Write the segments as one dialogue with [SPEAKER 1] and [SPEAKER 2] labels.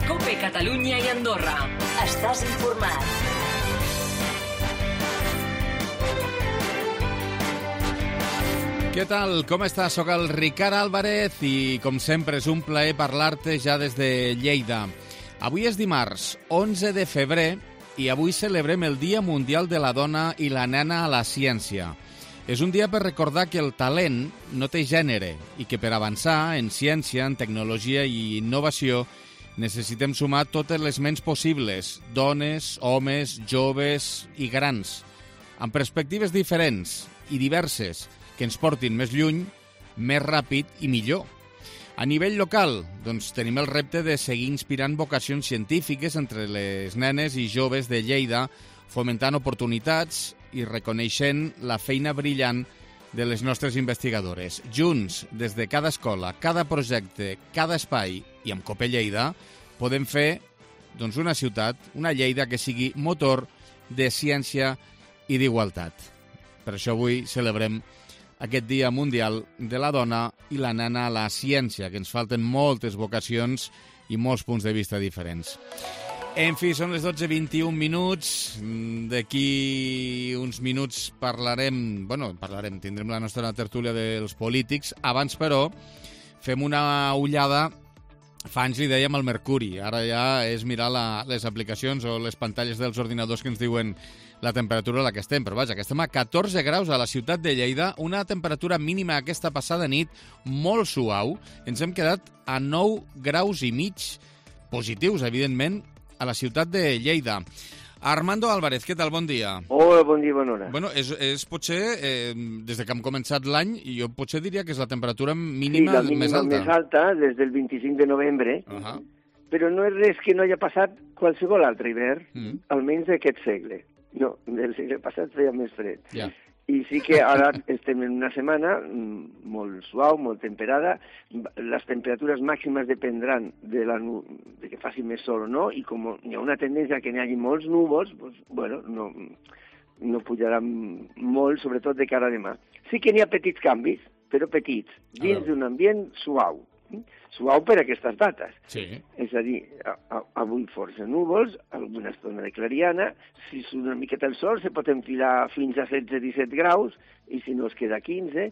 [SPEAKER 1] COPE Catalunya i Andorra. Estàs informat.
[SPEAKER 2] Què tal? Com estàs? Soc el Ricard Álvarez i, com sempre, és un plaer parlar-te ja des de Lleida. Avui és dimarts, 11 de febrer, i avui celebrem el Dia Mundial de la Dona i la Nena a la Ciència. És un dia per recordar que el talent no té gènere i que per avançar en ciència, en tecnologia i innovació necessitem sumar totes les ments possibles, dones, homes, joves i grans, amb perspectives diferents i diverses que ens portin més lluny, més ràpid i millor. A nivell local, doncs, tenim el repte de seguir inspirant vocacions científiques entre les nenes i joves de Lleida, fomentant oportunitats i reconeixent la feina brillant de les nostres investigadores. Junts, des de cada escola, cada projecte, cada espai i amb COPE Lleida, podem fer doncs, una ciutat, una Lleida que sigui motor de ciència i d'igualtat. Per això avui celebrem aquest Dia Mundial de la Dona i la Nena a la Ciència, que ens falten moltes vocacions i molts punts de vista diferents. En fi, són les 12:21 minuts. D'aquí uns minuts tindrem la nostra tertúlia dels polítics. Abans, però, fem una ullada. Fa anys li dèiem al Mercuri. Ara ja és mirar les aplicacions o les pantalles dels ordinadors que ens diuen la temperatura a la que estem. Però vaja, que estem a 14 graus a la ciutat de Lleida, una temperatura mínima aquesta passada nit molt suau. Ens hem quedat a 9 graus i mig positius, evidentment, a la ciutat de Lleida. Armando Álvarez, què tal? Bon dia.
[SPEAKER 3] Hola, bon dia, bona hora.
[SPEAKER 2] Bueno, és potser, des de que hem començat l'any, jo potser diria que és la temperatura mínima, més alta.
[SPEAKER 3] Més alta, des del 25 de novembre, però no és res que no hagi passat qualsevol altre hivern, almenys d'aquest segle. No, del segle passat feia més fred.
[SPEAKER 2] Ja.
[SPEAKER 3] I sí que ara estem en una setmana molt suau, molt temperada. Les temperatures màximes dependran de que faci més sol o no, i com hi ha una tendència que n'hi hagi molts núvols, doncs, bueno, no pujaran molt, sobretot de cara a demà. Sí que n'hi ha petits canvis, però petits, dins d'un ambient suau. Suau per aquestes dates.
[SPEAKER 2] Sí.
[SPEAKER 3] És a dir, avui força núvols, alguna estona de clariana, si surt una miqueta el sol se pot enfilar fins a 16-17 graus, i si no es queda 15,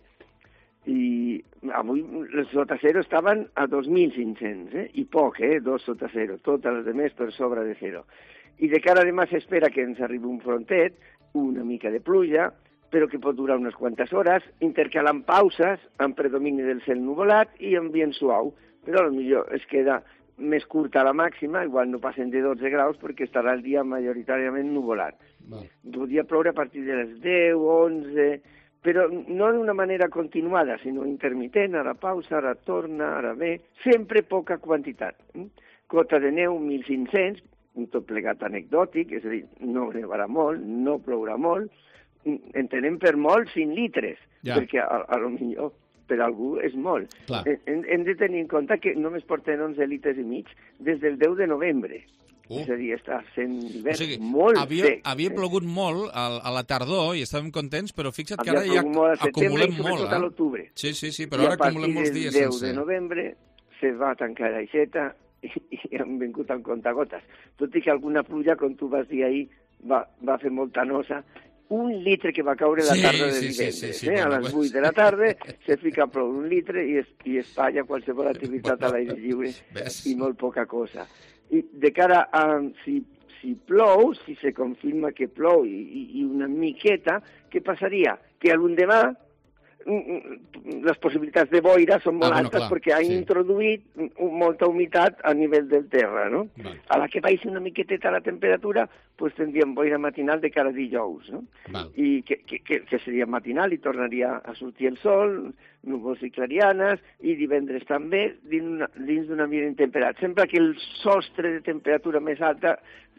[SPEAKER 3] i avui les sota zero estaven a 2.500, i poc, 2 sota zero, totes les demés per sobre de zero. I de cara a demà s'espera que ens arribi un frontet, una mica de pluja, però que pot durar unes quantes hores, intercalant pauses amb predomini del cel nuvolat i ambient suau. Però potser es queda més curta la màxima, igual no passen de 12 graus perquè estarà el dia majoritàriament nuvolat. Podria ploure a partir de les 10, 11, però no d'una manera continuada, sinó intermitent, ara pausa, ara torna, ara ve, sempre poca quantitat. Cota de neu, 1.500, un tot plegat anecdòtic, és a dir, no nevarà molt, no plourà molt, entenem per molt 5 litres, perquè a lo millor per algú és molt. Hem de tenir en compte que només porten 11 litres i mig des del 10 de novembre. És a dir, està sent hivern molt sec.
[SPEAKER 2] Havia plogut molt a la tardor i estàvem contents, però fixa't que ara ja acumulem molt.
[SPEAKER 3] Sobretot a l'octubre.
[SPEAKER 2] Sí, però ara acumulem molts dies sense.
[SPEAKER 3] I a partir del 10 de novembre se va tancar l'aixeta i han vingut amb contagotes. Tot i que alguna pluja, com tu vas dir ahir, va fer molta nosa. Un litre que va caure la tarda de divendres. A les 8 de la tarda se fica a ploure 1 litre i es talla qualsevol activitat a l'aire lliure i molt poca cosa. I de cara a si plou, si se confirma que plou i una miqueta, què passaria? Que a l'endemà les possibilitats de boira són molt altes perquè han introduït molta humitat a nivell del terra, no? A la que baixi una miqueteta la temperatura, doncs tindríem boira matinal de cara a dijous, no? I que seria matinal i tornaria a sortir el sol, núvols i clarianes, i divendres també, dins d'un ambient temperat. Sempre que el sostre de temperatura més alta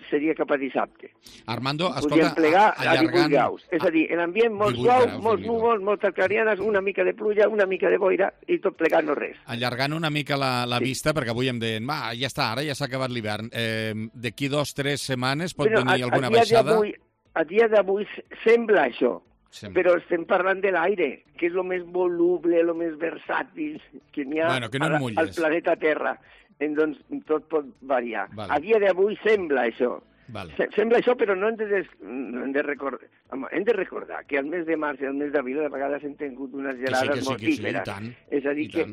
[SPEAKER 3] seria cap a dissabte.
[SPEAKER 2] Armando, escolta,
[SPEAKER 3] podríem plegar a 18 graus. És a dir, l'ambient molt suau, molts núvols, moltes clarianes, una mica de pluja, una mica de boira, i tot plegat no res.
[SPEAKER 2] Allargant una mica la vista, perquè avui em deien, ja està, ara ja s'ha acabat l'hivern. D'aquí 2 o 3 setmanes pot venir alguna baixada?
[SPEAKER 3] A dia d'avui sembla això.
[SPEAKER 2] Sí.
[SPEAKER 3] Però estem parlant de l'aire, que és el més voluble, el més versàtil que n'hi ha
[SPEAKER 2] que no
[SPEAKER 3] al planeta Terra. Doncs tot pot variar.
[SPEAKER 2] Vale.
[SPEAKER 3] A dia d'avui sembla això.
[SPEAKER 2] Vale.
[SPEAKER 3] Sembla això, però no hem de recordar que al mes de març i al mes d'abril a vegades hem tingut unes gelades mortíferes. És a dir, que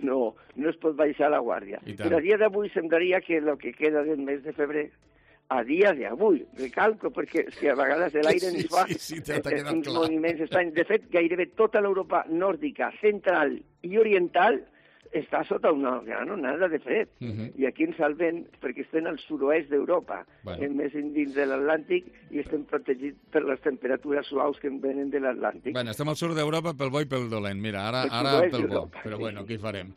[SPEAKER 3] no es pot baixar la guàrdia. Però a dia d'avui semblaria que el que queda del mes de febrer, a dia d'avui, recalco, perquè és que a vegades l'aire ens fa uns moviments estranys. De fet, gairebé tota l'Europa nòrdica, central i oriental està sota una gran onada de fred. I aquí ens salven perquè estem al sud-oest d'Europa, més dins de l'Atlàntic, i estem protegits per les temperatures suaus que venen de l'Atlàntic.
[SPEAKER 2] Bueno, estem al sud d'Europa pel bo i pel dolent. Mira, ara pel bo. Però bueno, què hi farem?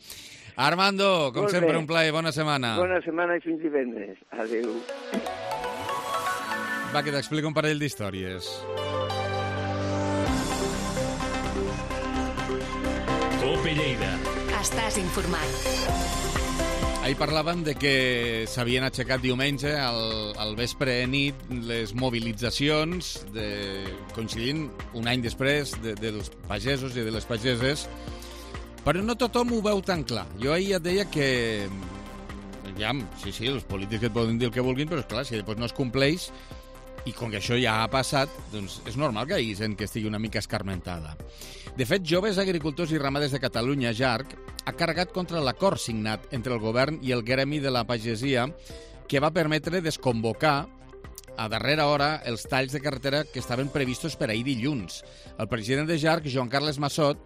[SPEAKER 2] Armando, com sempre, un plaer. Bona setmana.
[SPEAKER 3] Bona setmana i fins divendres. Adéu.
[SPEAKER 2] Va, que t'explico un parell d'històries.
[SPEAKER 4] Cope Lleida.
[SPEAKER 1] Estàs informat.
[SPEAKER 2] Ahir parlàvem de que s'havien aixecat diumenge al vespre nit les mobilitzacions coincidint un any després dels pagesos i de les pageses, però no tothom ho veu tan clar. Jo ahir et deia que sí, els polítics et poden dir el que vulguin, però és clar, si després no es compleix, i com que això ja ha passat, doncs és normal que hi hagi gent que estigui una mica escarmentada. De fet, Joves Agricultors i Ramaders de Catalunya, JARC, ha carregat contra l'acord signat entre el govern i el gremi de la pagesia que va permetre desconvocar a darrera hora els talls de carretera que estaven previstos per ahir dilluns. El president de JARC, Joan Carles Massot,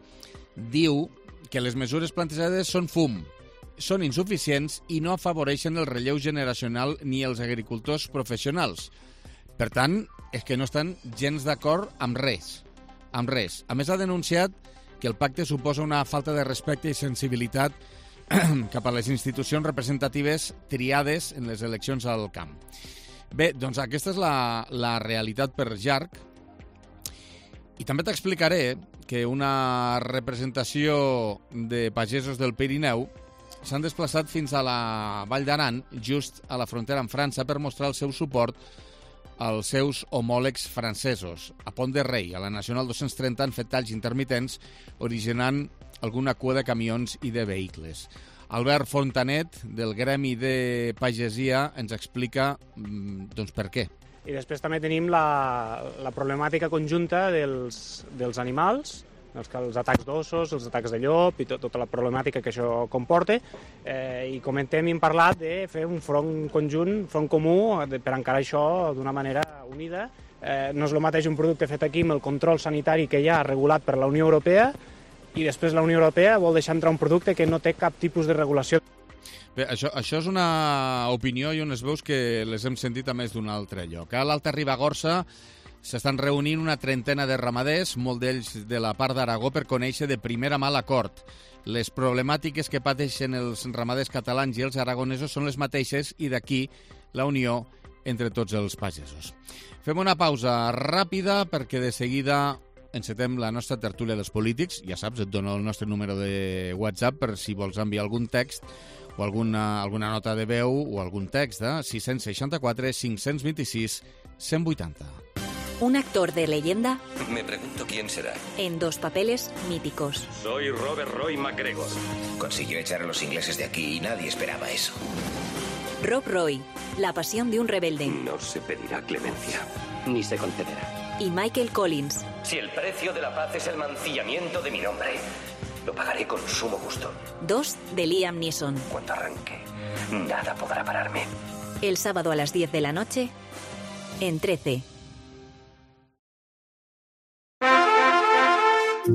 [SPEAKER 2] diu que les mesures plantejades són fum, són insuficients i no afavoreixen el relleu generacional ni els agricultors professionals. Per tant, és que no estan gens d'acord amb res. Amb res. A més, ha denunciat que el pacte suposa una falta de respecte i sensibilitat cap a les institucions representatives triades en les eleccions al camp. Bé, doncs aquesta és la realitat per JARC. I també t'explicaré que una representació de pagesos del Pirineu s'han desplaçat fins a la Vall d'Aran, just a la frontera amb França, per mostrar el seu suport als seus homòlegs francesos. A Pont de Rei, a la Nacional 230, han fet talls intermitents, originant alguna cua de camions i de vehicles. Albert Fontanet, del Gremi de Pagesia, ens explica doncs, per què.
[SPEAKER 5] I després també tenim la problemàtica conjunta dels animals, els atacs d'ossos, els atacs de llop i tota la problemàtica que això comporta. I comentem i hem parlat de fer un front conjunt, front comú, per encarar això d'una manera unida. No és el mateix un producte fet aquí amb el control sanitari que hi ha regulat per la Unió Europea i després la Unió Europea vol deixar entrar un producte que no té cap tipus de regulació.
[SPEAKER 2] Bé, això és una opinió i unes veus que les hem sentit a més d'un altre lloc. A l'Alta Ribagorça s'estan reunint una trentena de ramaders, molt d'ells de la part d'Aragó, per conèixer de primera mà l'acord. Les problemàtiques que pateixen els ramaders catalans i els aragonesos són les mateixes i d'aquí la unió entre tots els pagesos. Fem una pausa ràpida perquè de seguida encetem la nostra tertúlia dels polítics. Ja saps, et dono el nostre número de WhatsApp per si vols enviar algun text o alguna nota de veu o algun text, 664 526 180.
[SPEAKER 1] Un actor de leyenda.
[SPEAKER 6] Me pregunto quién será.
[SPEAKER 1] En dos papeles míticos.
[SPEAKER 4] Soy Robert Roy McGregor.
[SPEAKER 6] Consiguió echar a los ingleses de aquí y nadie esperaba eso.
[SPEAKER 1] Rob Roy, la pasión de un rebelde.
[SPEAKER 7] No se pedirá clemencia, ni se concederá.
[SPEAKER 1] Y Michael Collins.
[SPEAKER 8] Si el precio de la paz es el mancillamiento de mi nombre, lo pagaré con sumo gusto.
[SPEAKER 1] Dos de Liam Neeson.
[SPEAKER 8] Cuando arranque, nada podrá pararme.
[SPEAKER 1] El sábado a las 10 de la noche, en 13.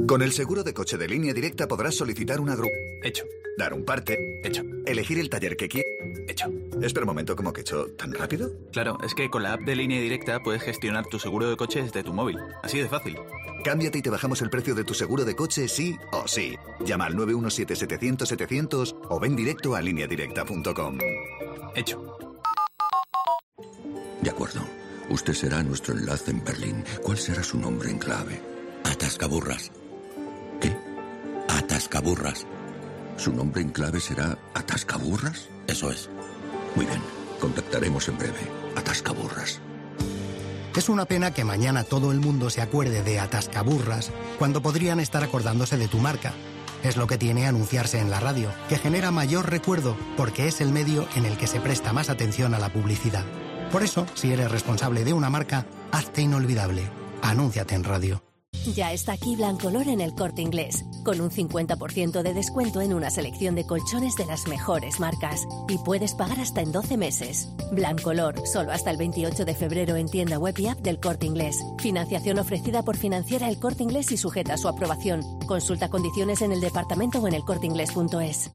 [SPEAKER 9] Con el seguro de coche de Línea Directa podrás solicitar una grúa.
[SPEAKER 7] Hecho.
[SPEAKER 9] Dar un parte.
[SPEAKER 7] Hecho.
[SPEAKER 9] Elegir el taller que quieras.
[SPEAKER 7] Hecho.
[SPEAKER 9] Espera un momento, ¿cómo que hecho? ¿Tan rápido?
[SPEAKER 7] Claro, es que con la app de Línea Directa puedes gestionar tu seguro de coche desde tu móvil. Así de fácil.
[SPEAKER 9] Cámbiate y te bajamos el precio de tu seguro de coche sí o sí. Llama al 917-700-700 o ven directo a lineadirecta.com.
[SPEAKER 7] Hecho.
[SPEAKER 10] De acuerdo. Usted será nuestro enlace en Berlín. ¿Cuál será su nombre en clave? Atascaburras. ¿Qué? Atascaburras. ¿Su nombre en clave será Atascaburras? Eso es. Muy bien. Contactaremos en breve. Atascaburras.
[SPEAKER 11] Es una pena que mañana todo el mundo se acuerde de Atascaburras cuando podrían estar acordándose de tu marca. Es lo que tiene anunciarse en la radio, que genera mayor recuerdo porque es el medio en el que se presta más atención a la publicidad. Por eso, si eres responsable de una marca, hazte inolvidable. Anúnciate en radio.
[SPEAKER 12] Ya está aquí Blancolor en El Corte Inglés, con un 50% de descuento en una selección de colchones de las mejores marcas. Y puedes pagar hasta en 12 meses. Blancolor, solo hasta el 28 de febrero en tienda web y app del Corte Inglés. Financiación ofrecida por Financiera El Corte Inglés y sujeta a su aprobación. Consulta condiciones en el departamento o en elcorteinglés.es.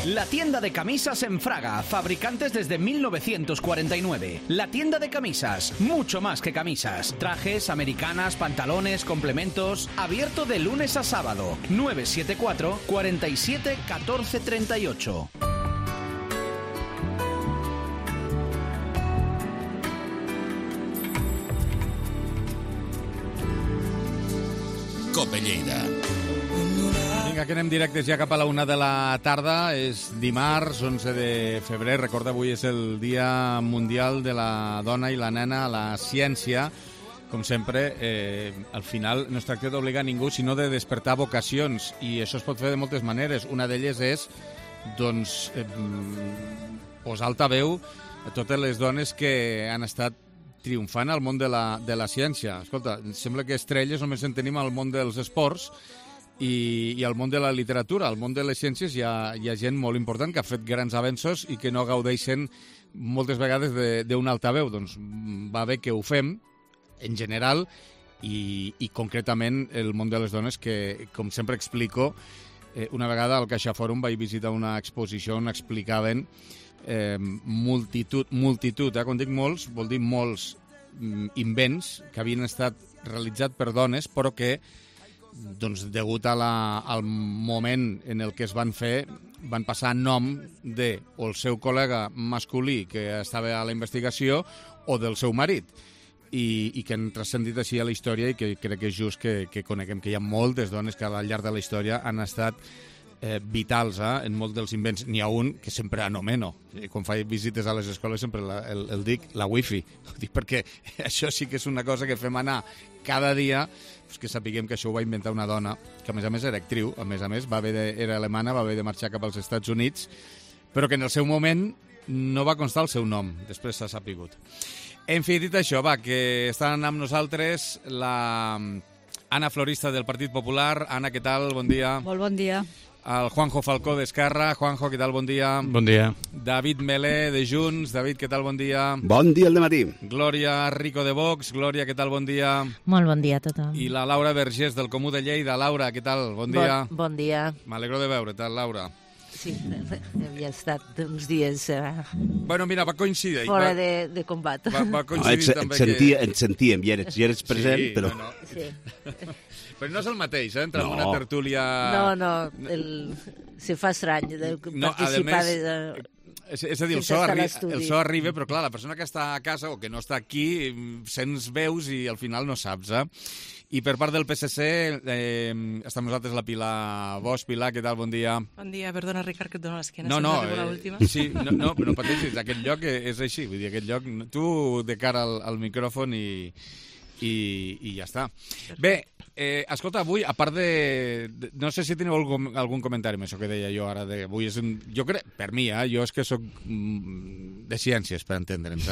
[SPEAKER 13] La tienda de camisas en Fraga, fabricantes desde 1949. La tienda de camisas, mucho más que camisas. Trajes, americanas, pantalones, complementos. Abierto de lunes a sábado. 974 47 14 38.
[SPEAKER 2] Cope Lleida. Vinga, que anem directes ja cap a la 1 de la tarda. És dimarts, 11 de febrer. Recorda, avui és el Dia Mundial de la Dona i la Nena a la Ciència. Com sempre, al final no es tracta d'obligar ningú, sinó de despertar vocacions. I això es pot fer de moltes maneres. Una d'elles és, doncs, posar altaveu a totes les dones que han estat triomfant al món de la ciència. Escolta, sembla que estrelles només en tenim al món dels esports i al món de la literatura. Al món de les ciències hi ha gent molt important que ha fet grans avenços i que no gaudeixen moltes vegades d'un altaveu. Doncs va bé que ho fem, en general, i concretament el món de les dones, que, com sempre explico, una vegada al CaixaForum vaig visitar una exposició on explicaven multitud, quan dic molts, vol dir molts invents que havien estat realitzats per dones, però que, doncs, degut al moment en el que es van fer, van passar a nom de o el seu col·lega masculí que estava a la investigació o del seu marit, i que han transcendit així a la història, i que crec que és just que coneguem que hi ha moltes dones que al llarg de la història han estat vitals en molts dels invents. N'hi ha un que sempre anomeno. Quan faig visites a les escoles sempre el dic la wifi. Ho dic perquè això sí que és una cosa que fem anar cada dia, pues que sapiguem que això ho va inventar una dona que a més era actriu, a més era alemana, va haver de marxar cap als Estats Units, però que en el seu moment no va constar el seu nom, després s'ha sapigut. En fi, dit això, va, que estan amb nosaltres la Anna Florista del Partit Popular. Anna, què tal? Bon dia.
[SPEAKER 14] Molt bon dia.
[SPEAKER 2] El Juanjo Falcó d'Esquerra. Juanjo, què tal? Bon dia.
[SPEAKER 15] Bon dia.
[SPEAKER 2] David Melé de Junts. David, què tal? Bon dia.
[SPEAKER 16] Bon dia al dematí.
[SPEAKER 2] Glòria Rico de Vox. Glòria, què tal? Bon dia.
[SPEAKER 17] Molt bon dia a tothom.
[SPEAKER 2] I la Laura Vergés del Comú de Lleida. Laura, què tal? Bon dia.
[SPEAKER 17] Bon dia.
[SPEAKER 2] M'alegro de veure, tal, Laura?
[SPEAKER 17] Sí, havia estat uns dies
[SPEAKER 2] bueno, mira, va coincidir
[SPEAKER 17] fora de combat.
[SPEAKER 2] Va coincidir també
[SPEAKER 16] et sentíem, ja eres present,
[SPEAKER 2] sí,
[SPEAKER 16] però...
[SPEAKER 2] No.
[SPEAKER 17] Sí.
[SPEAKER 2] Però no és el mateix, entrar en una tertúlia...
[SPEAKER 17] No, se fa estrany participar
[SPEAKER 2] és a dir, el so arriba, però clar, la persona que està a casa o que no està aquí, sents veus i al final no saps, I per part del PSC està amb nosaltres la Pilar Bosch. Pilar, què tal? Bon dia.
[SPEAKER 18] Bon dia, perdona, Ricard, que et dono l'esquena.
[SPEAKER 2] Sí, no pateixis, aquest lloc és així, vull dir, aquest lloc, tu de cara al micròfon i ja està. Bé, escolta, avui, a part de... No sé si teniu algun comentari amb això que deia jo ara. Avui és jo crec, per mi, jo és que soc de ciències, per entendre'ns,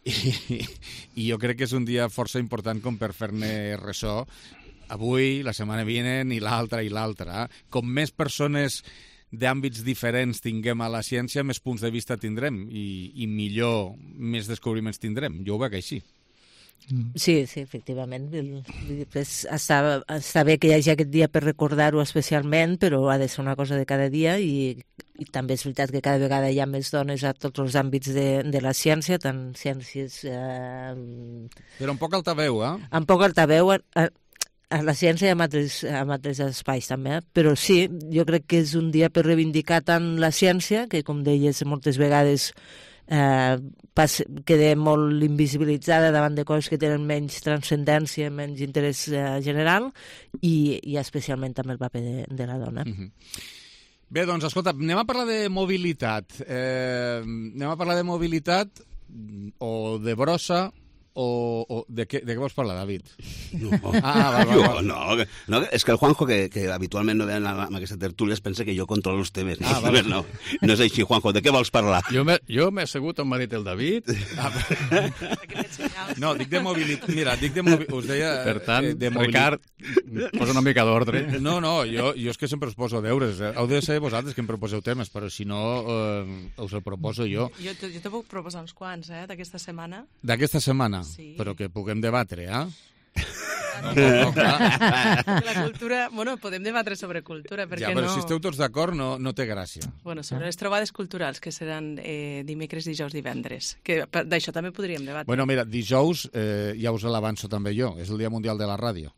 [SPEAKER 2] i jo crec que és un dia força important com per fer-ne ressò avui, la setmana vinent i l'altra. Com més persones d'àmbits diferents tinguem a la ciència, més punts de vista tindrem i millor, més descobriments tindrem. Jo ho veig així.
[SPEAKER 17] Sí, efectivament. Està bé que hi hagi aquest dia per recordar-ho especialment, però ha de ser una cosa de cada dia i també és veritat que cada vegada hi ha més dones a tots els àmbits de la ciència, tant ciències...
[SPEAKER 2] Però un poc altaveu,
[SPEAKER 17] Un poc altaveu a la ciència i a altres espais també, però sí, jo crec que és un dia per reivindicar tant la ciència, que com deies moltes vegades queda molt invisibilitzada davant de coses que tenen menys transcendència, menys interès general, i especialment també el paper de la dona.
[SPEAKER 2] Bé, doncs, escolta, anem a parlar de mobilitat. O de brossa o de què vols parlar, David?
[SPEAKER 16] No, no, és que el Juanjo, que habitualment no ve amb aquesta tertúlia, es pensa que jo controlo els temes. No és així, Juanjo, de què vols parlar?
[SPEAKER 14] Jo m'he assegut on m'ha dit el David.
[SPEAKER 2] No, dic de mobilitat. Mira, us deia...
[SPEAKER 14] Per tant, Ricard, posa una mica d'ordre.
[SPEAKER 2] No, jo és que sempre us poso deures. Heu de ser vosaltres que em proposeu temes, però si no, us el proposo jo.
[SPEAKER 18] Jo te puc proposar uns quants, d'aquesta setmana.
[SPEAKER 2] D'aquesta setmana?
[SPEAKER 18] Sí.
[SPEAKER 2] Però que puguem debatre,
[SPEAKER 18] No, la cultura... Bueno, podem debatre sobre cultura, per què no?
[SPEAKER 2] Ja, però si esteu tots d'acord no té gràcia.
[SPEAKER 18] Bueno, sobre les trobades culturals, que seran dimecres, dijous, divendres. Que d'això també podríem debatre.
[SPEAKER 2] Bueno, mira, dijous, ja us l'avanço també jo, és el Dia Mundial de la Ràdio.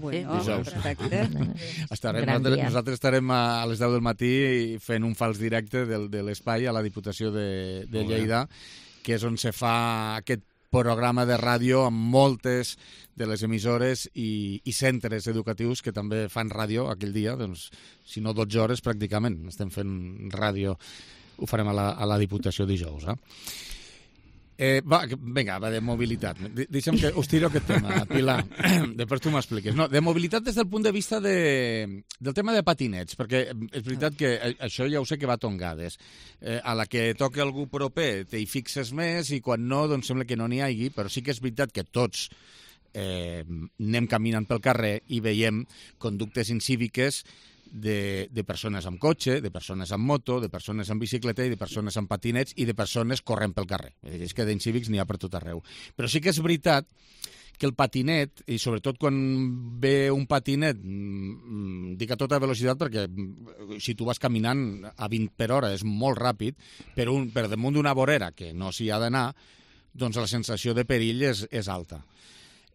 [SPEAKER 15] Bueno, perfecte.
[SPEAKER 2] Nosaltres estarem a les 10 del matí fent un fals directe de l'espai a la Diputació de Lleida, que és on se fa aquest programa de ràdio amb moltes de les emissores i centres educatius que també fan ràdio aquell dia, doncs, si no 12 hores pràcticament, estem fent ràdio, ho farem a la Diputació dijous. Vinga, de mobilitat. Deixa'm que us tiro aquest tema, Pilar. Després tu m'expliques. No, de mobilitat des del punt de vista del tema de patinets, perquè és veritat que això ja ho sé que va a tongades. A la que toca algú proper t'hi fixes més i quan no, doncs sembla que no n'hi hagi, però sí que és veritat que tots anem caminant pel carrer i veiem conductes incíviques de persones amb cotxe, de persones amb moto, de persones amb bicicleta i de persones amb patinets i de persones corrent pel carrer. És que d'incívics n'hi ha per tot arreu. Però sí que és veritat que el patinet, i sobretot quan ve un patinet, dic a tota velocitat perquè si tu vas caminant a 20 per hora és molt ràpid, per damunt d'una vorera que no s'hi ha d'anar, doncs la sensació de perill és alta.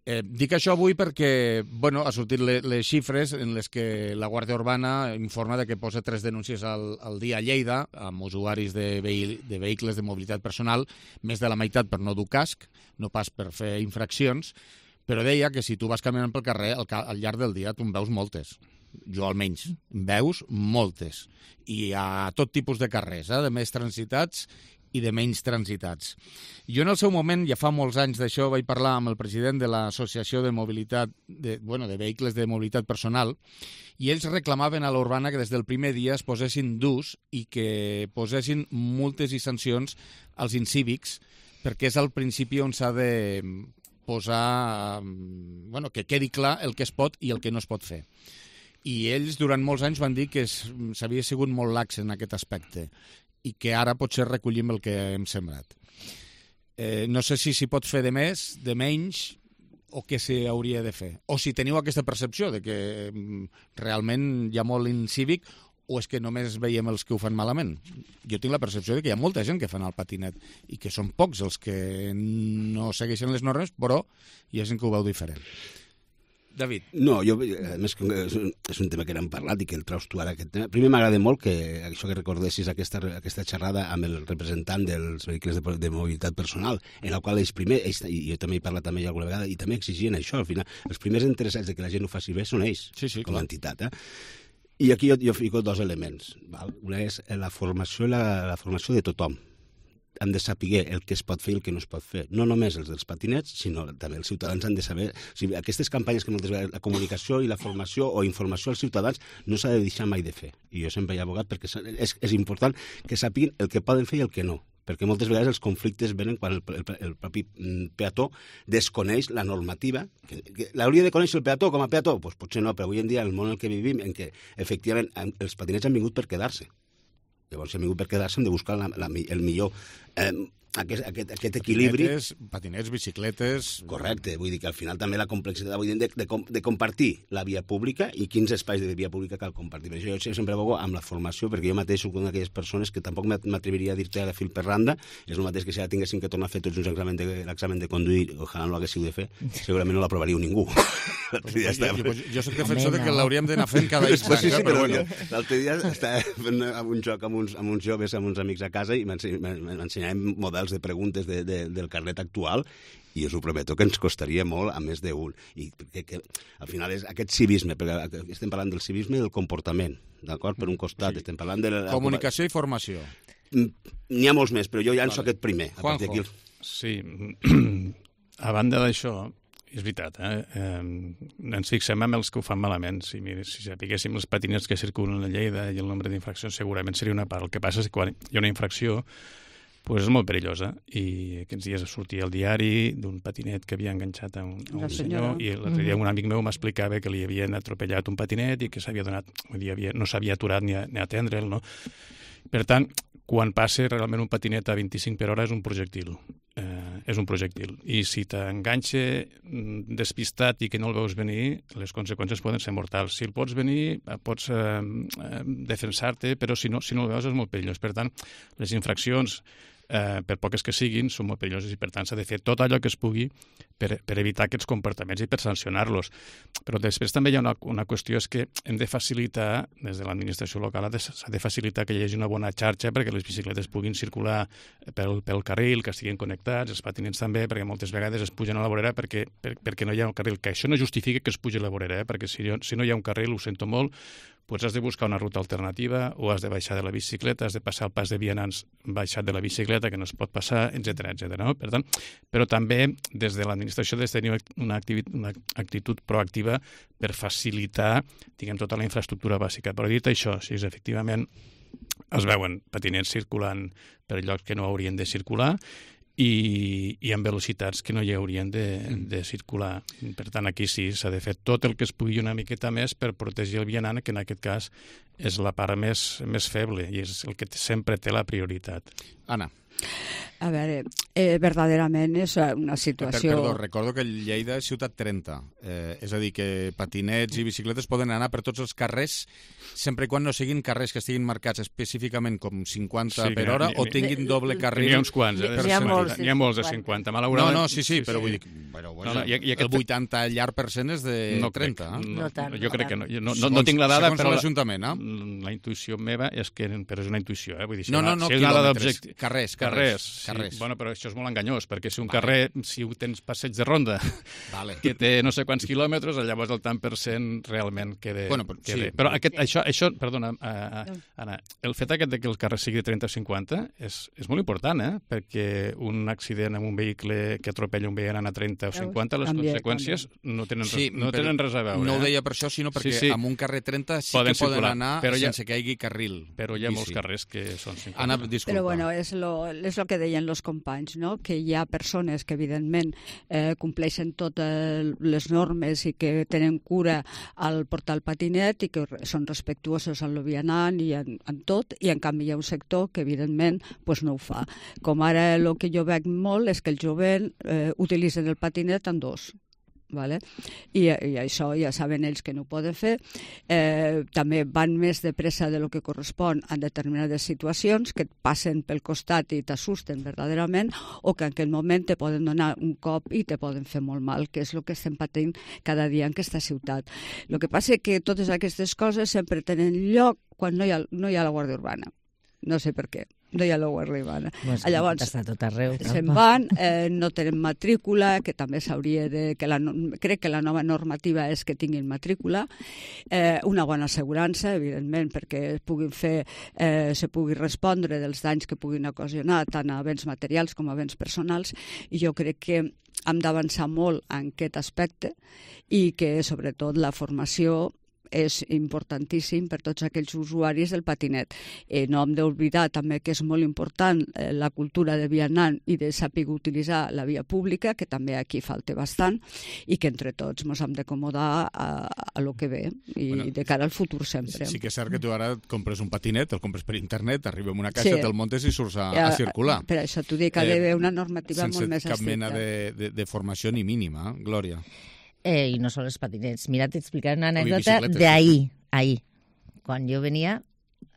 [SPEAKER 2] Dic això avui perquè ha sortit les xifres en les que la Guàrdia Urbana informa que posa 3 denúncies al dia a Lleida amb usuaris de vehicles de mobilitat personal, més de la meitat per no dur casc, no pas per fer infraccions, però deia que si tu vas caminant pel carrer al llarg del dia tu en veus moltes. Jo almenys, en veus moltes. I a tot tipus de carrers, de més transitats i de menys transitats. Jo en el seu moment, ja fa molts anys d'això, vaig parlar amb el president de l'Associació de Mobilitat, de Vehicles de Mobilitat Personal, i ells reclamaven a l'Urbana que des del primer dia es posessin d'ús i que posessin multes i sancions als incívics, perquè és al principi on s'ha de posar, que quedi clar el que es pot i el que no es pot fer. I ells durant molts anys van dir que s'havia sigut molt lax en aquest aspecte i que ara potser recollim el que hem sembrat. No sé si s'hi pot fer de més, de menys, o què s'hi hauria de fer. O si teniu aquesta percepció de que realment hi ha molt incívic o és que només veiem els que ho fan malament. Jo tinc la percepció de que hi ha molta gent que fan el patinet i que són pocs els que no segueixen les normes, però hi ha gent que ho veu diferent. David.
[SPEAKER 16] No, jo, a més, és un tema que n'hem parlat i que el traus tu ara, aquest tema. Primer m'agrada molt que això que recordessis aquesta xerrada amb el representant dels vehicles de mobilitat personal, en el qual ells primer, i jo també he parlat amb ell alguna vegada, i també exigien això, al final. Els primers interessats de que la gent ho faci bé són ells, com a entitat. I aquí jo fico 2 elements. Una és la formació de tothom. Hem de saber el que es pot fer i el que no es pot fer. No només els dels patinets, sinó també els ciutadans han de saber... O sigui, aquestes campanyes que moltes vegades la comunicació i la formació o informació als ciutadans no s'ha de deixar mai de fer. I jo sempre he abogat perquè és important que sàpiguen el que poden fer i el que no. Perquè moltes vegades els conflictes venen quan el propi peató desconeix la normativa. L'hauria de conèixer el peató com a peató? Doncs potser no, però avui en dia, en el món en què vivim, en què efectivament els patinets han vingut per quedar-se. Llavors, hem vingut per quedar-se, hem de buscar el millor, aquest equilibri.
[SPEAKER 2] Patinets, bicicletes...
[SPEAKER 16] Correcte, vull dir que al final també la complexitat de compartir la via pública i quins espais de via pública cal compartir. Per això jo sempre abogo amb la formació, perquè jo mateix soc una d'aquelles persones que tampoc m'atreviria a dir-te a fil per randa, és el mateix que si ara tinguéssim que tornar a fer tots uns l'examen de conduir, ojalà no l'haguéssiu de fer, segurament no l'aprovaríeu ningú.
[SPEAKER 2] Jo soc defensor que l'hauríem d'anar fent cada instant.
[SPEAKER 16] Sí, però l'altre dia estava fent un joc amb uns joves, amb uns amics a casa, i m'ensenyàvem models de preguntes del carnet actual i us ho prometo que ens costaria molt a més d'un. I que al final és aquest civisme, perquè estem parlant del civisme i del comportament, d'acord? Per un costat, estem parlant de...
[SPEAKER 2] Comunicació i formació.
[SPEAKER 16] N'hi ha molts més, però jo llanço aquest primer.
[SPEAKER 2] Juanjo.
[SPEAKER 14] Sí. a banda d'això, és veritat, ens fixem en els que ho fan malament. Si sapiguéssim els patinets que circulen a Lleida i el nombre d'infraccions, segurament seria una part. El que passa és que quan hi ha una infracció, pues és molt perillosa. I aquests dies sortia al diari d'un patinet que havia enganxat a un senyor, i l'altre dia un amic meu m'explicava que li havien atropellat un patinet i que s'havia donat, no s'havia aturat ni a atendre'l, no? Per tant, quan passa realment un patinet a 25 per hora és un projectil. I si t'enganxa despistat i que no el veus venir, les conseqüències poden ser mortals. Si el pots venir, pots defensar-te, però si no el veus és molt perillós. Per tant, les infraccions, per poques que siguin, són molt perilloses i per tant s'ha de fer tot allò que es pugui per evitar aquests comportaments i per sancionar-los. Però després també hi ha una qüestió, és que hem de facilitar, des de l'administració local, s'ha de facilitar que hi hagi una bona xarxa perquè les bicicletes puguin circular pel carril, que estiguin connectats, els patinets també, perquè moltes vegades es pugen a la vorera perquè no hi ha un carril. Que això no justifica que es pugi a la vorera, perquè si no hi ha un carril, ho sento molt, doncs has de buscar una ruta alternativa o has de baixar de la bicicleta, has de passar el pas de vianants baixat de la bicicleta, que no es pot passar, etc. No? Per tant, però també des de l'administració has de tenir una actitud proactiva per facilitar, diguem, tota la infraestructura bàsica. Però dit això, si efectivament es veuen patinets circulant per llocs que no haurien de circular i amb velocitats que no hi haurien de circular. Per tant, aquí sí, s'ha de fer tot el que es pugui una miqueta més per protegir el vianant, que en aquest cas és la part més feble i és el que sempre té la prioritat.
[SPEAKER 2] Anna.
[SPEAKER 15] A veure, verdaderament és una situació...
[SPEAKER 2] Perdó, recordo que Lleida és ciutat 30, és a dir, que patinets i bicicletes poden anar per tots els carrers sempre i quan no siguin carrers que estiguin marcats específicament com 50 per hora o tinguin doble carril.
[SPEAKER 14] N'hi ha uns quants, n'hi ha molts de 50, malauradament.
[SPEAKER 2] No, sí, però vull dir, el 80 llarg per cent és de 30.
[SPEAKER 17] No tant.
[SPEAKER 14] Jo crec que no. No tinc la dada, però
[SPEAKER 2] l'Ajuntament,
[SPEAKER 14] la intuïció meva és que... Però és una intuïció, vull dir,
[SPEAKER 2] no, quilòmetres, carrers.
[SPEAKER 14] Bueno, però això és molt enganyós, perquè si un carrer, si tens passeig de ronda, que té no sé quants quilòmetres, llavors el tant per cent realment queda... Però això, perdona, Anna, el fet aquest que el carrer sigui de 30 o 50 és molt important, perquè un accident amb un vehicle que atropella un vianant a 30 o 50, les conseqüències no tenen res a veure.
[SPEAKER 2] No ho deia per això, sinó perquè amb un carrer 30 sí que poden anar sense que hi hagi carril.
[SPEAKER 14] Però hi ha molts carrers que són 50.
[SPEAKER 2] Anna, disculpa.
[SPEAKER 15] Però bueno, és el que deien els companys, no? Que hi ha persones que evidentment compleixen totes les normes i que tenen cura al portar el patinet i que són respectuosos amb el vianant i en tot, i en canvi hi ha un sector que evidentment no ho fa. Com ara el que jo veig molt és que el jovent utilitzen el patinet en dos. Vale? I això ja saben ells que no ho poden fer. També van més de pressa de lo que correspon en determinades situacions que et passen pel costat i t'assusten verdaderament, o que en aquell moment te poden donar un cop i te poden fer molt mal, que és el que estem patint cada dia en aquesta ciutat. El que passa és que totes aquestes coses sempre tenen lloc quan no hi ha la Guàrdia Urbana. No sé per què. No hi ha la Guàrdia Urbana.
[SPEAKER 17] Llavors, està tot arreu.
[SPEAKER 15] Se'n van, no tenen matrícula, que també s'hauria de... Crec que la nova normativa és que tinguin matrícula, una bona assegurança, evidentment, perquè se pugui respondre dels danys que puguin ocasionar tant a béns materials com a béns personals, i jo crec que hem d'avançar molt en aquest aspecte i que, sobretot, la formació és importantíssim per tots aquells usuaris del patinet. No hem d'oblidar també que és molt important la cultura de vianant i de saber utilitzar la via pública, que també aquí falta bastant, i que entre tots ens hem d'acomodar a lo que ve i de cara al futur sempre.
[SPEAKER 2] Sí que és cert que tu ara et compres un patinet, el compres per internet, arriba amb una caixa, te'l muntes i surts a circular.
[SPEAKER 15] Per això t'ho dic, ha d'haver una normativa molt més estricta.
[SPEAKER 2] Sense cap mena de formació ni mínima, Glòria.
[SPEAKER 17] I no són els patinets. Mira, t'explicaré una anècdota d'ahir, quan jo venia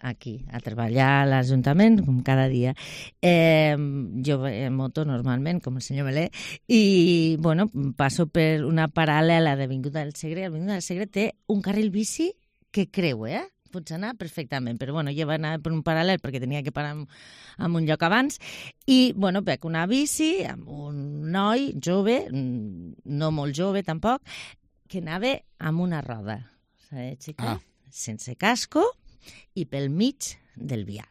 [SPEAKER 17] aquí a treballar a l'Ajuntament, com cada dia. Jo en moto normalment, com el senyor Melé, i bueno, passo per una paral·lela d'Avinguda del Segre. L'Avinguda del Segre té un carril bici que creua, pots anar perfectament, però bueno, jo vaig anar per un paral·lel perquè tenia que parar en un lloc abans, i bueno, veig una bici amb un noi jove, no molt jove tampoc, que anava amb una roda, sense casco i pel mig del vial.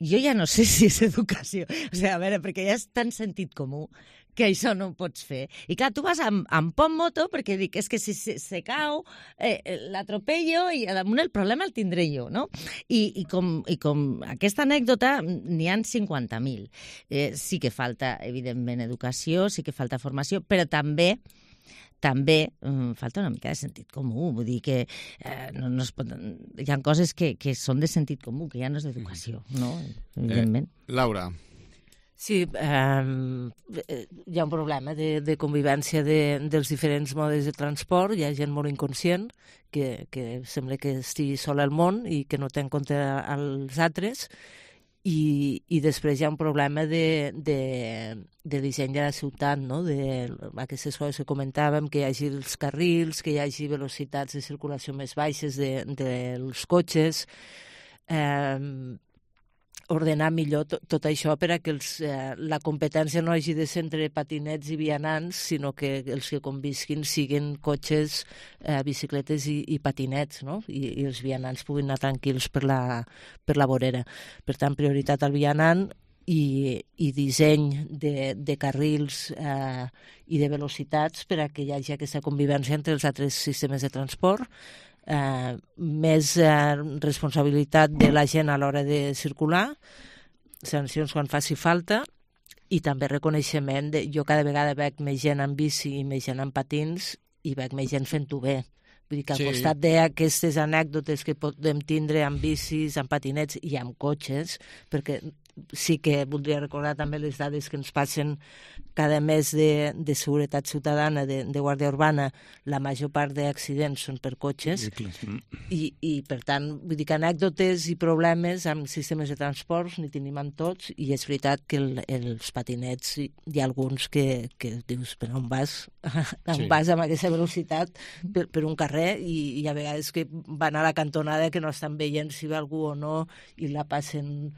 [SPEAKER 17] Jo ja no sé si és educació, a veure, perquè ja és tan sentit comú que això no ho pots fer. I clar, tu vas amb pont moto perquè dic, és que si se cau, l'atropello i damunt el problema el tindré jo, no? I com aquesta anècdota n'hi ha 50.000. Sí que falta, evidentment, educació, sí que falta formació, però també falta una mica de sentit comú, vull dir que no es pot... Hi ha coses que són de sentit comú, que ja no és d'educació, no? Evidentment.
[SPEAKER 2] Laura.
[SPEAKER 18] Sí, hi ha un problema de convivència dels diferents modes de transport, hi ha gent molt inconscient que sembla que estigui sol al món i que no té en compte els altres, i després hi ha un problema de disseny de la ciutat, no? Aquestes coses que comentàvem, que hi hagi els carrils, que hi hagi velocitats de circulació més baixes dels cotxes, ordenar millor tot això per a que la competència no hagi de ser entre patinets i vianants, sinó que els que convisquin siguin cotxes, bicicletes i patinets, no? I els vianants puguin anar tranquils per la vorera. Per tant, prioritat al vianant i disseny de carrils i de velocitats per a que hi hagi aquesta convivència entre els altres sistemes de transport, més responsabilitat de la gent a l'hora de circular, sancions quan faci falta, i també reconeixement. Jo cada vegada veig més gent amb bici i més gent amb patins i veig més gent fent-ho bé. Vull dir que al costat d'aquestes anècdotes que podem tindre amb bicis, amb patinets i amb cotxes, perquè sí que voldria recordar també les dades que ens passen cada mes de seguretat ciutadana, de Guàrdia Urbana, la major part d'accidents són per cotxes, i per tant, vull dir que anècdotes i problemes amb sistemes de transports n'hi tenim amb tots, i és veritat que els patinets hi ha alguns que dius, però on vas? On vas amb aquesta velocitat per un carrer, i a vegades que van a la cantonada que no estan veient si ve algú o no i la passen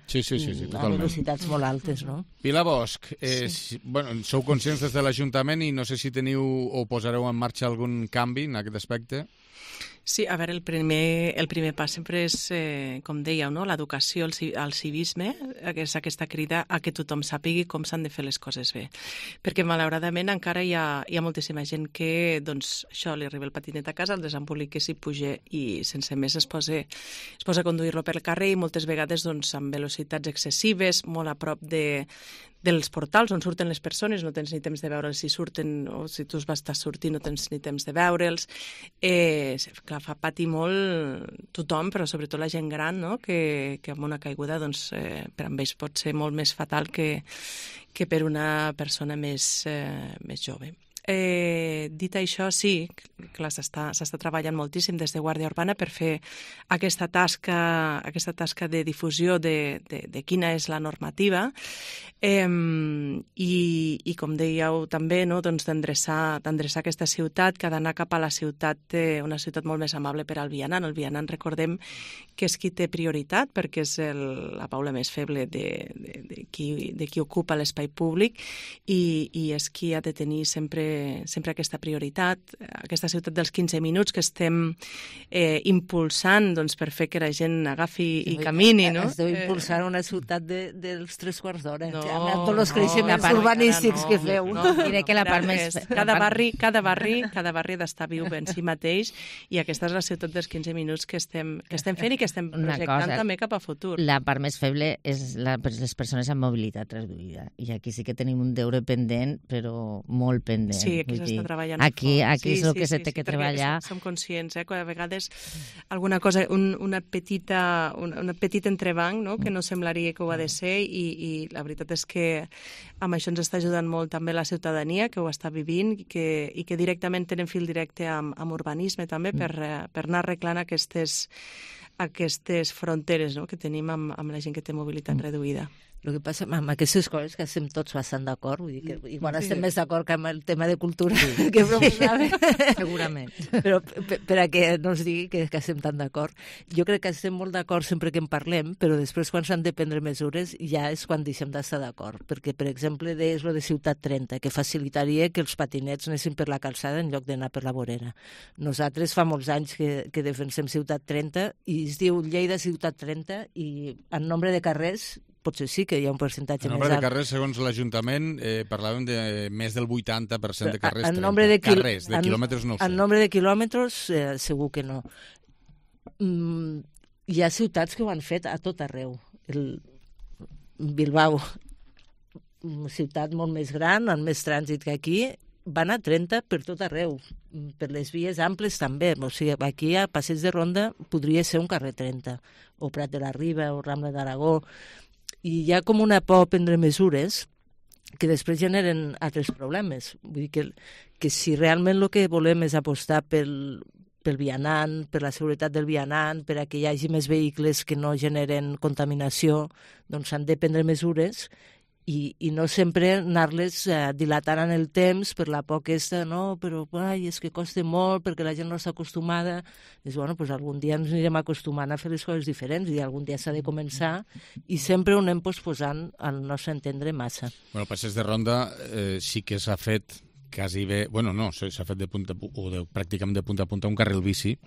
[SPEAKER 18] a velocitats molt altes, no?
[SPEAKER 2] Pilar Bosch, sou conscients des de l'Ajuntament i no sé si teniu o posareu en marxa algun canvi en aquest aspecte?
[SPEAKER 18] Sí, a veure, el primer pas sempre és, com dèieu, no? L'educació, el civisme, és aquesta crida a que tothom sàpigui com s'han de fer les coses bé. Perquè, malauradament, encara hi ha moltíssima gent que, doncs, això, li arriba el patinet a casa, el desembolica, s'hi puja i sense més es posa a conduir-lo per el carrer, i moltes vegades, doncs, amb velocitats excessives, molt a prop dels portals on surten les persones, no tens ni temps de veure'ls si surten, o si tu vas estar sortint no tens ni temps de veure'ls. Clar, fa patir molt tothom, però sobretot la gent gran, no? Que amb una caiguda, doncs, per amb ells pot ser molt més fatal que per una persona més jove. Dit això, sí, clar, s'està treballant moltíssim des de Guàrdia Urbana per fer aquesta tasca de difusió de quina és la normativa, i com dèieu també, no, doncs d'endreçar aquesta ciutat, que ha d'anar cap a la ciutat, una ciutat molt més amable per al vianant. El vianant, recordem que és qui té prioritat, perquè és la paula més feble de qui ocupa l'espai públic, i és qui ha de tenir sempre aquesta prioritat, aquesta ciutat dels 15 minuts que estem impulsant, doncs, per fer que la gent agafi i camini, no?
[SPEAKER 17] Esteu impulsant una ciutat dels 3/4 d'hora, amb tots els creixements urbanístics que feu. Diré que la part més...
[SPEAKER 18] Cada barri ha d'estar viu en si mateix, i aquesta és la ciutat dels 15 minuts que estem fent i que estem projectant també cap a futur.
[SPEAKER 17] La part més feble és les persones amb mobilitat reduïda, i aquí sí que tenim un deure pendent, però molt pendent.
[SPEAKER 18] Sí, aquí s'està treballant.
[SPEAKER 17] Aquí és el que s'ha de treballar.
[SPEAKER 18] Som conscients, que a vegades alguna cosa, un petit entrebanc, no?, que no semblaria que ho ha de ser, i la veritat és que amb això ens està ajudant molt també la ciutadania, que ho està vivint, i que directament tenen fil directe amb urbanisme també, per anar arreglant aquestes fronteres, no?, que tenim amb la gent que té mobilitat reduïda.
[SPEAKER 17] El que passa amb aquestes coses que estem tots bastant d'acord, vull dir que igual estem més d'acord que amb el tema de cultura que proposava. Segurament. Però per a que no es digui que estem tan d'acord. Jo crec que estem molt d'acord sempre que en parlem, però després quan s'han de prendre mesures ja és quan deixem d'estar d'acord. Perquè, per exemple, deies lo de Ciutat 30, que facilitaria que els patinets anessin per la calçada en lloc d'anar per la vorera. Nosaltres fa molts anys que defensem Ciutat 30 i es diu Lleida Ciutat 30, i en nombre de carrers
[SPEAKER 18] potser sí que hi ha un percentatge
[SPEAKER 2] més alt. El nombre de carrers, segons l'Ajuntament, parlàvem de més del 80% de carrers 30. Carrers, de quilòmetres no ho sé.
[SPEAKER 18] En nombre de quilòmetres, segur que no. Hi ha ciutats que ho han fet a tot arreu. Bilbao, ciutat molt més gran, amb més trànsit que aquí, van a 30 per tot arreu, per les vies amples també. O sigui, aquí a Passeig de Ronda podria ser un carrer 30, o Prat de la Riba, o Rambla d'Aragó, i hi ha com una por a prendre mesures que després generen altres problemes. Vull dir que si realment el que volem és apostar pel vianant, per la seguretat del vianant, per a que hi hagi més vehicles que no generen contaminació, doncs s'han de prendre mesures i no sempre anar-les dilatant en el temps per la por aquesta, no, però és que costa molt perquè la gent no està acostumada. Dius, bueno, doncs algun dia ens anirem acostumant a fer les coses diferents i algun dia s'ha de començar i sempre ho anem posposant al nostre entendre massa.
[SPEAKER 2] Bueno, el Passeig de Ronda sí que s'ha fet quasi bé, bueno, no, s'ha fet de punta o pràcticament de punta a punta un carril bici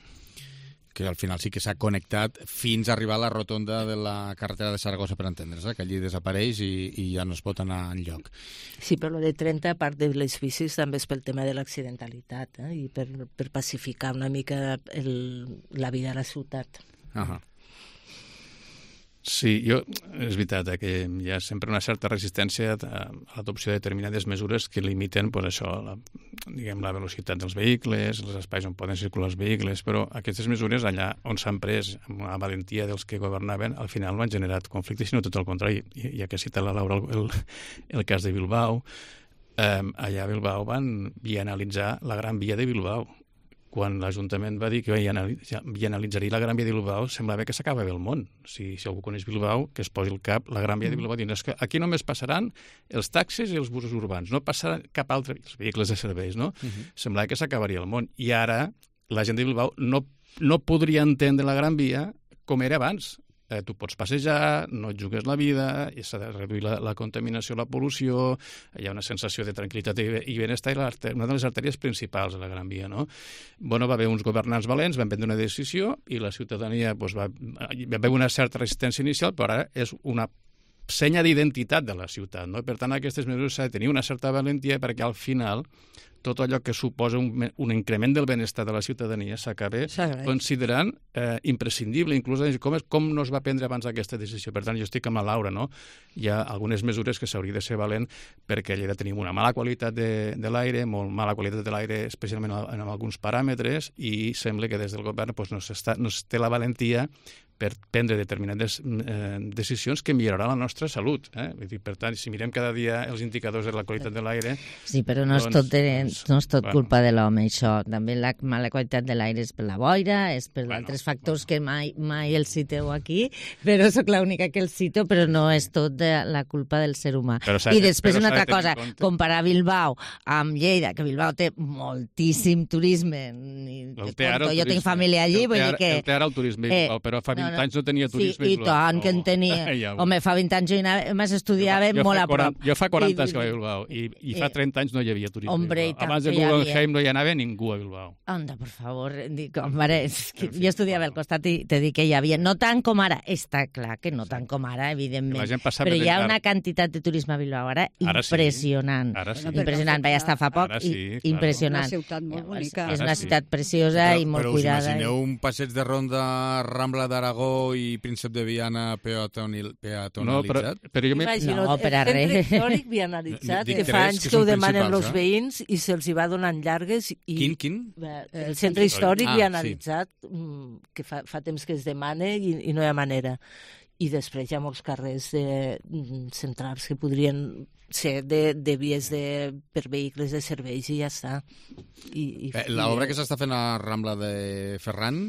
[SPEAKER 2] que al final sí que s'ha connectat fins a arribar a la rotonda de la carretera de Saragossa, per entendre's, que allí desapareix i ja no es pot anar enlloc.
[SPEAKER 18] Sí, però de 30, a part de les bicis, també és pel tema de l'accidentalitat i per pacificar una mica la vida a la ciutat.
[SPEAKER 14] Sí, és veritat que hi ha sempre una certa resistència a l'adopció de determinades mesures que limiten això, la velocitat dels vehicles, els espais on poden circular els vehicles, però aquestes mesures allà on s'han pres amb la valentia dels que governaven, al final no han generat conflictes, sinó tot el contrari. Ja que cita la Laura el cas de Bilbao, allà a Bilbao van vianalitzar la Gran Via de Bilbao. Quan l'Ajuntament va dir que vianalitzaria la Gran Via de Bilbao, semblava que s'acabava el món. Si algú coneix Bilbao, que es posi al cap la Gran Via de Bilbao, dient que aquí només passaran els taxis i els busos urbans, no passarà cap altre, els vehicles de serveis, no? Semblava que s'acabaria el món. I ara la gent de Bilbao no podria entendre la Gran Via com era abans. Tu pots passejar, no et jugues la vida, s'ha de reduir la contaminació, la pol·lució, hi ha una sensació de tranquil·litat i benestar, i una de les artèries principals de la Gran Via, no? Bueno, va haver uns governants valents, van prendre una decisió i la ciutadania va haver una certa resistència inicial, però ara és una senya d'identitat de la ciutat, no? Per tant, aquestes mesures s'ha de tenir una certa valentia perquè al final tot allò que suposa un increment del benestar de la ciutadania s'acaba considerant imprescindible, inclús com no es va prendre abans aquesta decisió. Per tant, jo estic amb la Laura, no? Hi ha algunes mesures que s'hauria de ser valent perquè a Lleida tenim una mala qualitat de l'aire, molt mala qualitat de l'aire, especialment en alguns paràmetres, i sembla que des del govern no es té la valentia per prendre determinades decisions que milloraran la nostra salut. Per tant, si mirem cada dia els indicadors de la qualitat de l'aire...
[SPEAKER 17] Sí, però no és tot culpa de l'home, això. També la mala qualitat de l'aire és per la boira, és per altres factors que mai els citeu aquí, però sóc l'única que els cito, però no és tot la culpa del ser humà. I després una altra cosa, comparar Bilbao amb Lleida, que Bilbao té moltíssim turisme. Jo tinc família allí, vull dir que...
[SPEAKER 14] El té ara el turisme, però fa 20 anys no tenia turisme.
[SPEAKER 17] Sí, i tant que en tenia. Home, fa 20 anys jo estudiava molt a prop.
[SPEAKER 14] Jo fa 40 anys que vaig a Bilbao i fa 30 anys no hi havia turisme. Abans de Guggenheim no hi anava ningú a Bilbao.
[SPEAKER 17] Anda, per favor. Jo estudiava al costat i te dic que hi havia. No tant com ara. Està clar que no tant com ara, evidentment. Però hi ha una quantitat de turisme a Bilbao ara impressionant. Impressionant. Vaig estar fa poc i impressionant.
[SPEAKER 15] Una ciutat molt bonica.
[SPEAKER 17] És una ciutat preciosa i molt cuidada.
[SPEAKER 2] Però us imagineu un passeig de Ronda, Rambla d'Aragó i Príncep de Viana peatonalitzat?
[SPEAKER 18] No,
[SPEAKER 17] per a res.
[SPEAKER 18] El centre històric vianalitzat, que fa anys que ho demanen els veïns i se'ls hi va donant llargues.
[SPEAKER 2] Quin?
[SPEAKER 18] El centre històric vianalitzat, que fa temps que es demana i no hi ha manera. I després hi ha molts carrers centrals que podrien ser de vies per vehicles de serveis i ja està.
[SPEAKER 2] L'obra que s'està fent a Rambla de Ferran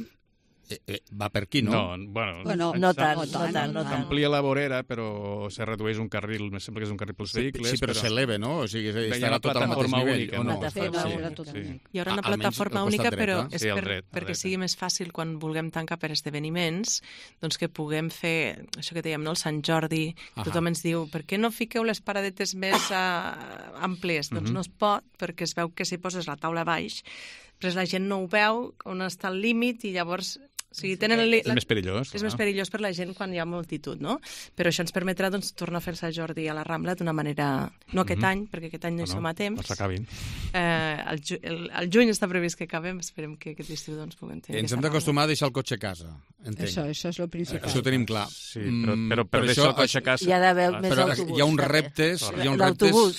[SPEAKER 2] va per aquí, no?
[SPEAKER 18] No tant.
[SPEAKER 14] S'amplia la vorera, però se redueix un carril, me sembla que és un carril pels vehicles.
[SPEAKER 2] Sí, però s'eleva, no? O sigui, estarà tot al mateix nivell.
[SPEAKER 19] Hi haurà una plataforma única, però és perquè sigui més fàcil quan vulguem tancar per esdeveniments, doncs que puguem fer, això que dèiem, el Sant Jordi, tothom ens diu, per què no fiqueu les paradetes més àmplies? Doncs no es pot, perquè es veu que si poses la taula baix, però la gent no ho veu, on està el límit, i llavors sigui,
[SPEAKER 14] és més perillós.
[SPEAKER 19] És més perillós per la gent quan hi ha multitud, no? Però això ens permetrà tornar a fer Sant Jordi a la Rambla d'una manera... No aquest any, perquè aquest any no hi som a temps.
[SPEAKER 14] No s'acabin.
[SPEAKER 19] El juny està previst que acabem, esperem que aquest estiu puguem tenir.
[SPEAKER 2] Ens hem d'acostumar a deixar el cotxe a casa, entenc.
[SPEAKER 15] Això és el principal.
[SPEAKER 2] Això ho tenim clar.
[SPEAKER 14] Sí, però per deixar el cotxe a casa...
[SPEAKER 18] Hi ha d'haver més autobús.
[SPEAKER 2] Hi ha uns reptes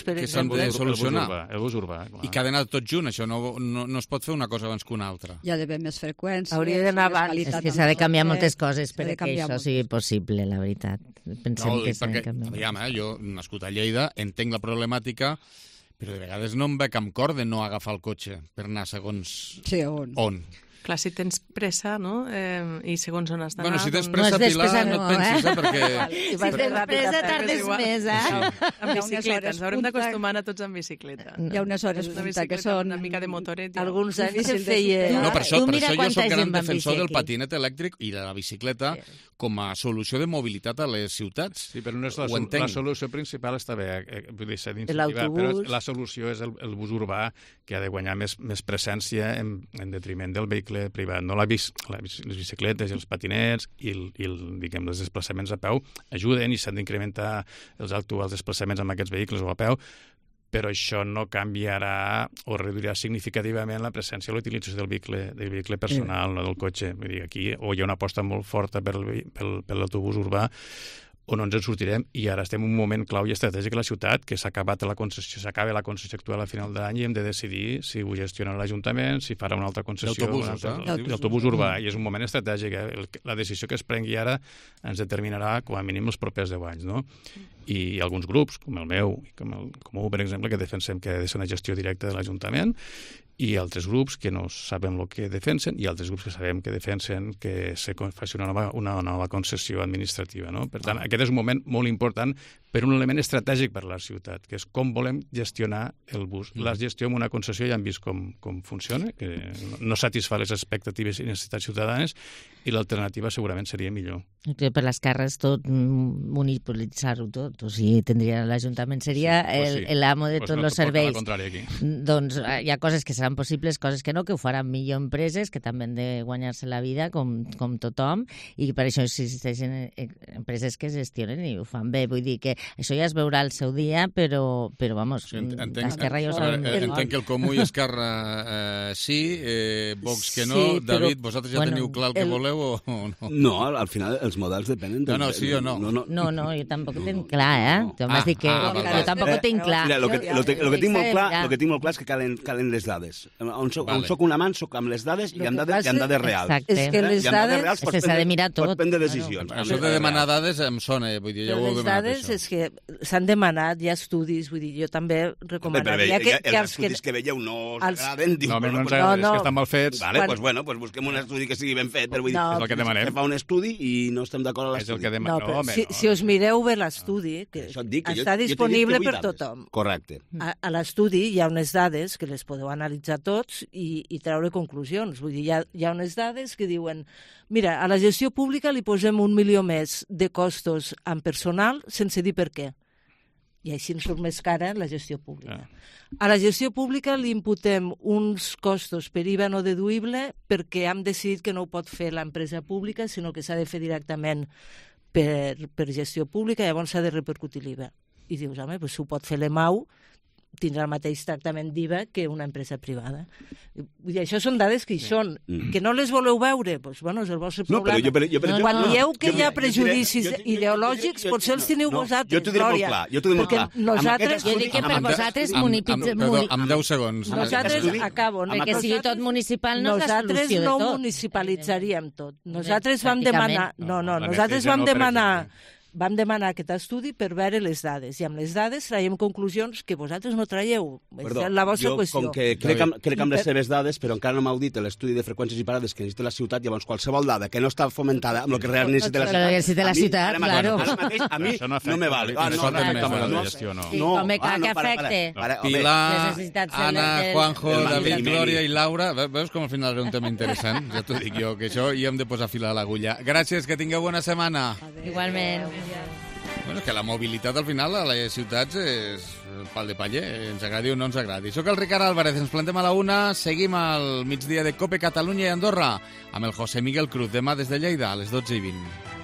[SPEAKER 2] que s'han de solucionar.
[SPEAKER 14] El bus urbà.
[SPEAKER 2] I que ha d'anar tot junt, això. No es pot fer una cosa abans que una altra.
[SPEAKER 15] Hi ha d'haver més freqüència.
[SPEAKER 18] Hauria d'anar abans.
[SPEAKER 17] És que s'ha de canviar moltes coses perquè això sigui possible, la veritat. Pensem que s'ha de canviar.
[SPEAKER 2] Aviam, jo, nascut a Lleida, entenc la problemàtica, però de vegades no em veig amb cor de no agafar el cotxe per anar segons on.
[SPEAKER 19] Clar, si tens pressa, no? I segons on has d'anar...
[SPEAKER 2] Bueno, si tens pressa, Pilar, no et pensis, perquè...
[SPEAKER 17] Si tens pressa, tardes més,
[SPEAKER 19] Amb bicicleta, ens haurem d'acostumar a tots amb bicicleta.
[SPEAKER 15] Hi ha unes hores punta que són...
[SPEAKER 19] Una mica de motoret.
[SPEAKER 18] Alguns anys se'n feia...
[SPEAKER 2] No, per això jo soc gran defensor del patinet elèctric i de la bicicleta com a solució de mobilitat a les ciutats.
[SPEAKER 14] Sí, però no és la solució principal, està bé, vull dir, s'ha d'incentivar, però la solució és el bus urbà, que ha de guanyar més presència en detriment del vehicle privat. No les bicicletes i els patinets i els desplaçaments a peu ajuden i s'han d'incrementar els actuals desplaçaments amb aquests vehicles o a peu, però això no canviarà o reduirà significativament la presència o l'utilització del vehicle personal, no del cotxe. Vull dir, aquí o hi ha una aposta molt forta per l'autobús urbà o no ens en sortirem, i ara estem en un moment clau i estratègic a la ciutat, que s'acaba la concessió actual a final de l'any i hem de decidir si ho gestiona l'Ajuntament, si farà una altra concessió d'autobús urbà, i és un moment estratègic. La decisió que es prengui ara ens determinarà com a mínim els propers 10 anys, no? I alguns grups, com el meu, i com el Comú, per exemple, que defensem que ha de ser una gestió directa de l'Ajuntament, i altres grups que no sabem el que defensen, i altres grups que sabem que defensen que se faci una nova concessió administrativa, no? Per tant, aquest és un moment molt important per un element estratègic per a la ciutat, que és com volem gestionar el bus. La gestió amb una concessió ja hem vist com funciona, que no satisfà les expectatives i necessitats ciutadanes, i l'alternativa segurament seria millor.
[SPEAKER 17] Per les carres tot, monopolitzar-ho tot, o sigui, tindria l'Ajuntament, seria l'amo de tots els serveis. Doncs hi ha coses que seran possibles, coses que no, que ho faran millor empreses, que també han de guanyar-se la vida, com tothom, i per això existeixen empreses que gestionen i ho fan bé. Vull dir que això ja es veurà el seu dia, però vamos, Esquerra ja ho sabem.
[SPEAKER 2] Entenc que el Comú i Esquerra sí, Vox que no. David, vosaltres ja teniu clar el que voleu o no?
[SPEAKER 16] No, al final els models depenen...
[SPEAKER 2] No, sí o no?
[SPEAKER 17] No, jo tampoc ho tinc clar, eh? Tu m'has dit que jo tampoc ho tinc clar.
[SPEAKER 16] Mira, el que tinc molt clar és que calen les dades. On soc un amant, soc amb les dades i amb dades reals.
[SPEAKER 17] És que les dades s'ha de mirar tot.
[SPEAKER 16] Pots prendre decisions.
[SPEAKER 2] Això de demanar dades em sona, vull dir, ja ho heu demanat,
[SPEAKER 18] això. Les dades és que s'han demanat, hi ha estudis, vull dir, jo també recomanaria que...
[SPEAKER 16] Els estudis que veieu no us agraden...
[SPEAKER 14] No, no ens agraden, és que estan mal fets.
[SPEAKER 16] Vale, doncs busquem un estudi que sigui ben fet, però vull dir,
[SPEAKER 14] és el que demanem.
[SPEAKER 16] Fa un estudi i no estem d'acord amb l'estudi.
[SPEAKER 18] No, però si us mireu bé l'estudi, que està disponible per tothom.
[SPEAKER 16] Correcte.
[SPEAKER 18] A l'estudi hi ha unes dades que les podeu analitzar tots i treure conclusions. Vull dir, hi ha unes dades que diuen mira, a la gestió pública li posem 1 milió més de costos en personal sense dir per què. I així ens surt més cara la gestió pública. A la gestió pública li imputem uns costos per IVA no deduïble perquè hem decidit que no ho pot fer l'empresa pública, sinó que s'ha de fer directament per gestió pública, llavors s'ha de repercutir l'IVA. I dius, home, si ho pot fer l'EMAU, tindrà el mateix tractament d'IVA que una empresa privada. Vull dir, això són dades que hi són. Que no les voleu veure? Doncs, bueno, és el vostre problema. Quan dieu que hi ha prejudicis ideològics, potser els teniu vosaltres.
[SPEAKER 16] Jo t'ho diré molt clar. Jo
[SPEAKER 17] dic que per vosaltres
[SPEAKER 2] amb 10 segons.
[SPEAKER 18] Nosaltres, acabo,
[SPEAKER 17] que sigui tot municipal no és la solució de tot.
[SPEAKER 18] Nosaltres no municipalitzaríem tot. Nosaltres vam demanar... Nosaltres vam demanar aquest estudi per veure les dades, i amb les dades traiem conclusions que vosaltres no traieu.
[SPEAKER 16] Perdó,
[SPEAKER 18] és la vostra qüestió.
[SPEAKER 16] Com que crec amb les seves dades, però encara no m'heu dit l'estudi de freqüències i parades que necessita la ciutat, llavors qualsevol dada que no està fomentada amb el que realment necessita la ciutat,
[SPEAKER 17] ara
[SPEAKER 16] mateix a mi no me val.
[SPEAKER 17] Que afecte.
[SPEAKER 2] Pilar, Anna, Juanjo, David, Glòria i Laura. Veus com al final era un tema interessant? Ja t'ho dic jo, que això hi hem de posar fil a l'agulla. Gràcies, que tingueu bona setmana.
[SPEAKER 17] Igualment.
[SPEAKER 2] Bueno, que la mobilitat al final a les ciutats és pal de paller, ens agradi o no ens agradi. Soc el Ricard Álvarez, ens plantem a la 1, seguim al migdia de COPE Catalunya i Andorra amb el José Miguel Cruz, demà des de Lleida a les 12:20.